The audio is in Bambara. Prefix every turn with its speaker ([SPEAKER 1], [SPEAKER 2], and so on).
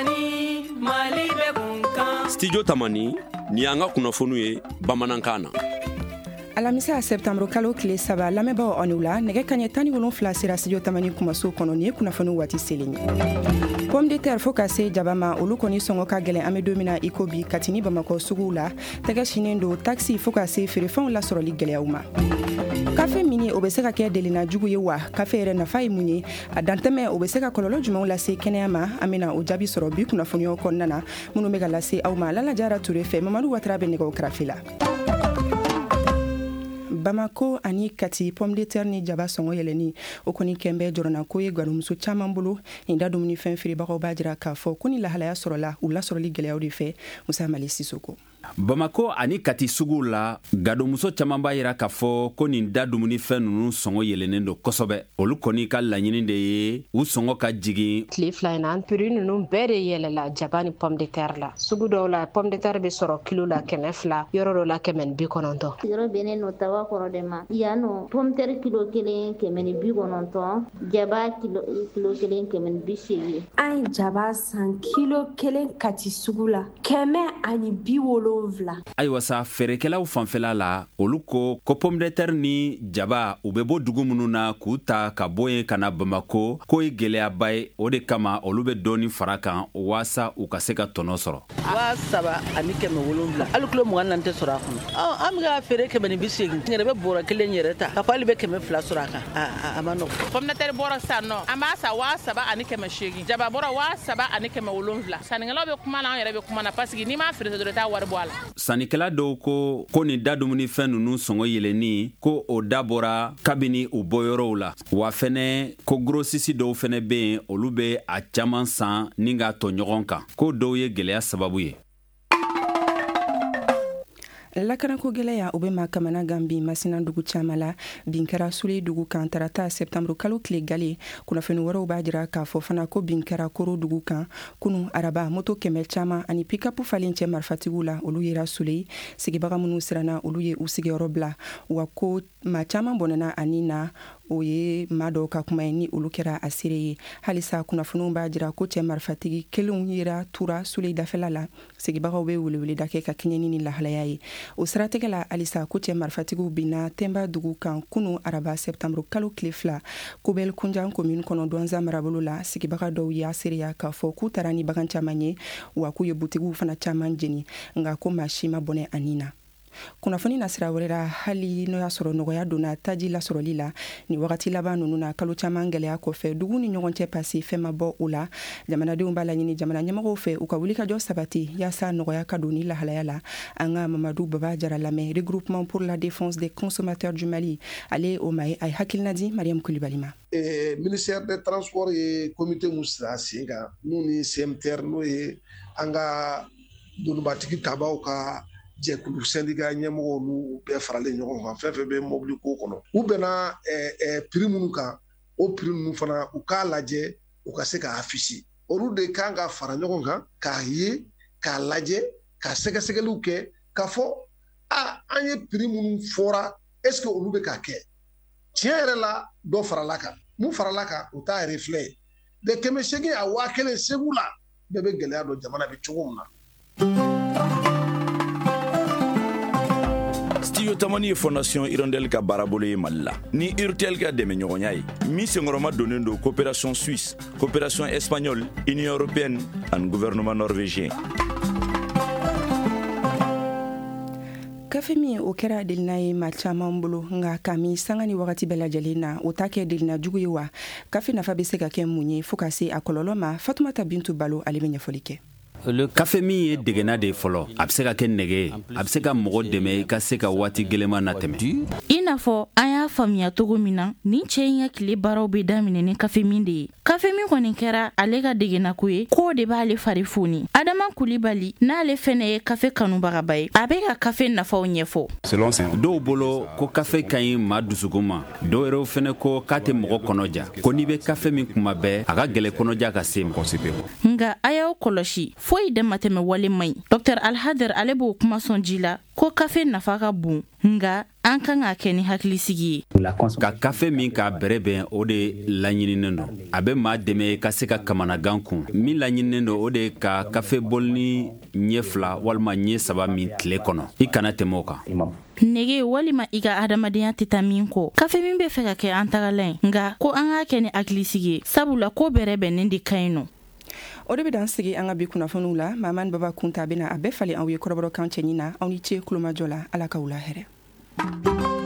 [SPEAKER 1] Tamani, Mali bɛ kun kan.
[SPEAKER 2] Studio Tamani, nin y'an ka kunnafoniw ye bamanankan na.
[SPEAKER 3] Alamisa septembre kalo tile 3, lamɛnbaaw, aw ni wula. Nɛgɛ kaɲɛ 17 sera Studio Tamani kumaso kɔnɔ. Nin ye kunnafoni waati selen ye. Pomme de terre fo ka se jaba ma, olu kɔni sɔngɔ ka gɛlɛn an bɛ don min na i ko bi Kati ni Bamakɔ suguw la. Tɛgɛ sinnen don taxi fo ka se feerefɛnw lasɔrɔli gɛlɛyaw ma. Kafe mini, o bɛ se ka kɛ delina jugu ye wa? Kafe yɛrɛ nafa ye mun ye? A dantɛmɛ, o bɛ se ka kɔlɔlɔ jumɛnw lase kɛnɛya ma? An bɛna o jaabi sɔrɔ bi kunnafoniyaw kɔnɔna na minnu bɛ ka lase aw ma Lala Jara Ture fɛ. Mamadu Watara bɛ nɛgɛw karafe la. Bamako ani Kati, pomme de terre ni jaba sɔngɔ yɛlɛni, o kɔni kɛn bɛ jɔrɔnako ye gwadonmuso caman bolo. Nin da dumunifɛn feerebagaw b'a jira k'a fɔ ko ni lahalaya sɔrɔla u lasɔrɔli gɛlɛyaw de fɛ. Musa Mali Sisoko.
[SPEAKER 4] Bamako ani Kati suguw la, gadonmuso caman b'a yira k'a fɔ ko nin da dumunifɛn ninnu sɔngɔ yɛlɛnnen don kosɛbɛ. Olu kɔni ka laɲini de ye u sɔngɔ ka jigin.
[SPEAKER 5] Tile 2 in na, prix ninnu bɛɛ de yɛlɛla jaba ni pomme de terre la. Sugu dɔw la, pomme de terre bɛ sɔrɔ kilo la 200, yɔrɔ dɔw la 190.
[SPEAKER 6] Yɔrɔ bɛnnen no taba kɔrɔ de ma. Yan nɔ, pomme de terre kilo 1 190, jaba kilo 1 180.
[SPEAKER 7] An ye jaba san kilo 1 Kati sugu la 170.
[SPEAKER 4] Ayiwa sa, feerekɛlaw fanfɛla la, olu ko ko pomme de terre ni jaba, u bɛ bɔ dugu minnu na k'u ta ka bɔ yen ka na Bamako, k'o ye gɛlɛyaba ye. O de kama olu bɛ dɔɔni fara kan waasa u ka se ka tɔnɔ sɔrɔ.
[SPEAKER 8] 3700, hali kilo 24 tɛ sɔrɔ a kɔnɔ. An bɛ ka feere 180, n yɛrɛ bɛ bɔrɔ kelen yɛrɛ ta ka fɔ hali bɛ 200 sɔrɔ a kan, a ma nɔgɔn.
[SPEAKER 9] Pomme de terre bɔrɔ sisan nɔ, an b'a san 3800, jaba bɔrɔ 3700. Sannikɛlaw bɛ kuma na, an yɛrɛ bɛ kuma na, parce que n'i m'a feere dɔrɔn, i t'a wari bɔ a la.
[SPEAKER 4] Sannikɛla dɔw ko ko nin da dumunifɛn ninnu sɔngɔ yɛlɛnni, ko o da bɔra kabini u bɔyɔrɔw la. Wa fɛnɛ ko grossiste dɔw fɛnɛ bɛ yen, olu bɛ a caman san ni k'a tɔ ɲɔgɔn kan, ko dɔw ye gɛlɛya sababu ye.
[SPEAKER 3] Lakanako gɛlɛya, o bɛ maa kamana gan bi Masina dugu caman la. Bin kɛra Sule dugu kan tarata septembre kalo tile gale. Kunnafoni wɛrɛw b'a jira k'a fɔ fana ko bin kɛra Koro dugu kan kunu araba. Moto 100 caman ani pick-up falen cɛ marifatigiw la, olu yera Sule. Sigibaga minnu siranna, olu ye u sigiyɔrɔ bila. Wa ko maa caman bɔnɛna ani na, o ye maa dɔw ka kuma ye ni olu kɛra a seere ye. Halisa kunnafoniw b'a jira ko cɛ marifatigi kelenw yera Tura Sule dafɛla la. Sigibagaw bɛ weleweleda kɛ ka kɛɲɛ ni nin lahalaya ye. O siratigɛ la halisa, ko cɛ marifatigiw binna Tɛnba dugu kan kunu araba septembre kalo tile 2, Kobɛl Kunjan commune kɔnɔ, Duwanza marabolo la. Sigibaga dɔw y'a seereya k'a fɔ k'u taara ni bagan caman ye, wa k'u ye butigiw fana caman jeni, nka ko maa si ma bɔnɛ ani na. Kunnafoni na sira wɛrɛ la, hali n'o y'a sɔrɔ nɔgɔya donna taji lasɔrɔli la nin wagati laban ninnu na kalo caman gɛlɛya kɔfɛ, dugu ni ɲɔgɔn cɛ pasi, fɛn ma bɔ o la. Jamanadenw b'a laɲini jamana ɲɛmɔgɔw fɛ u ka wulikajɔ sabati yaasa nɔgɔya ka don ni lahalaya la. An ka Mamadu Baba Jara lamɛn, Regroupement pour la défense des consommateurs du Mali, ale o ma ye, a ye hakilina di Mariam Kulibali ma.
[SPEAKER 10] Ministère des Transports ye comité mun sigi sen kan, n'u ni CMTR, n'o ye an ka donibatigi tabaw ka jɛkulu syndicat ɲɛmɔgɔw, n'u bɛɛ faralen ɲɔgɔn kan, fɛn fɛn bɛ mobili ko kɔnɔ, u bɛnna prix minnu kan, o prix ninnu fana, u k'a lajɛ u ka se k'a afficher. Olu de kan ka fara ɲɔgɔn kan k'a ye, k'a lajɛ, ka sɛgɛsɛgɛliw kɛ k'a fɔ a an ye prix minnu fɔra, est ce que olu bɛ ka kɛ tiɲɛ yɛrɛ la? Dɔ farala kan, mun farala kan, u t'a reflet ye de 800 a 1000. Segu la, bɛɛ bɛ gɛlɛya dɔn jamana bɛ cogo min na.
[SPEAKER 11] Studio Tamani ye Fondation Hirondelle ka baarabolo ye Mali la ni Urtel ka dɛmɛɲɔgɔnya ye, min senkɔrɔma donnen don coopération suisse, coopération espagnole, Union européenne ani gouvernement norvégien.
[SPEAKER 3] Kafe min, o kɛra delina ye maa caman bolo, nka ka min sanga ni wagati bɛɛ lajɛlen na, o t'a kɛ delina jugu ye wa? Kafe nafa bɛ se ka kɛ mun ye fo ka se a kɔlɔlɔ ma? Fatumata Bintu Balo, ale bɛ ɲɛfɔli kɛ.
[SPEAKER 4] Kafe min ye degena de ye fɔlɔ, a bɛ se ka kɛ nɛgɛ ye, a bɛ se ka mɔgɔ dɛmɛ i ka se ka waati gɛlɛnman na tɛmɛ.
[SPEAKER 12] I n'a fɔ an y'a faamuya cogo min na, nin cɛ in ka tile baaraw bɛ daminɛ ni kafe min de ye. Kafe min kɔni kɛra ale ka degenako ye, k'o de b'ale fari foni. Adama Kulibali, n'ale fɛnɛ ye kafe kanubagaba ye, a bɛ ka kafe nafaw ɲɛfɔ.
[SPEAKER 4] Dɔw bolo ko kafe ka ɲi maa dusukun ma, dɔw yɛrɛw fɛnɛ ko k'a tɛ mɔgɔ kɔnɔja, ko n'i bɛ kafe min kuma bɛɛ, a ka gɛlɛ kɔnɔja ka se ma.
[SPEAKER 12] Nka a y'aw kɔlɔsi. Foyi damatɛmɛ wale man ɲi. Dr Alhader ale b'o kuma sɔn ji la ko kafe nafa ka bon, nka an kan k'a kɛ ni hakilisigi ye.
[SPEAKER 4] Ka kafe min k'a bɛrɛbɛn, o de laɲininen don. A bɛ maa dɛmɛ ka se ka kamanagan kun. Min laɲininen don, o de ye ka kafe bolini ɲɛ 2 walima ɲɛ 3 min tile kɔnɔ, i kana tɛmɛ o kan.
[SPEAKER 12] Nege walima i ka adamadenya tɛ taa min kɔ, kafe min bɛ fɛ ka kɛ an tagalan ye, nka ko an k'a kɛ ni hakilisigi ye, sabula ko bɛrɛbɛnnen de ka ɲi nɔ.
[SPEAKER 3] O de bɛ dan sigi an ka bi kunnafoniw la. Mamani Baba Kunta bɛna a bɛɛ falen aw ye kɔrɔbɔrɔkan cɛɲi na. Aw ni ce kulomajɔ la. Ala k'aw la hɛrɛ.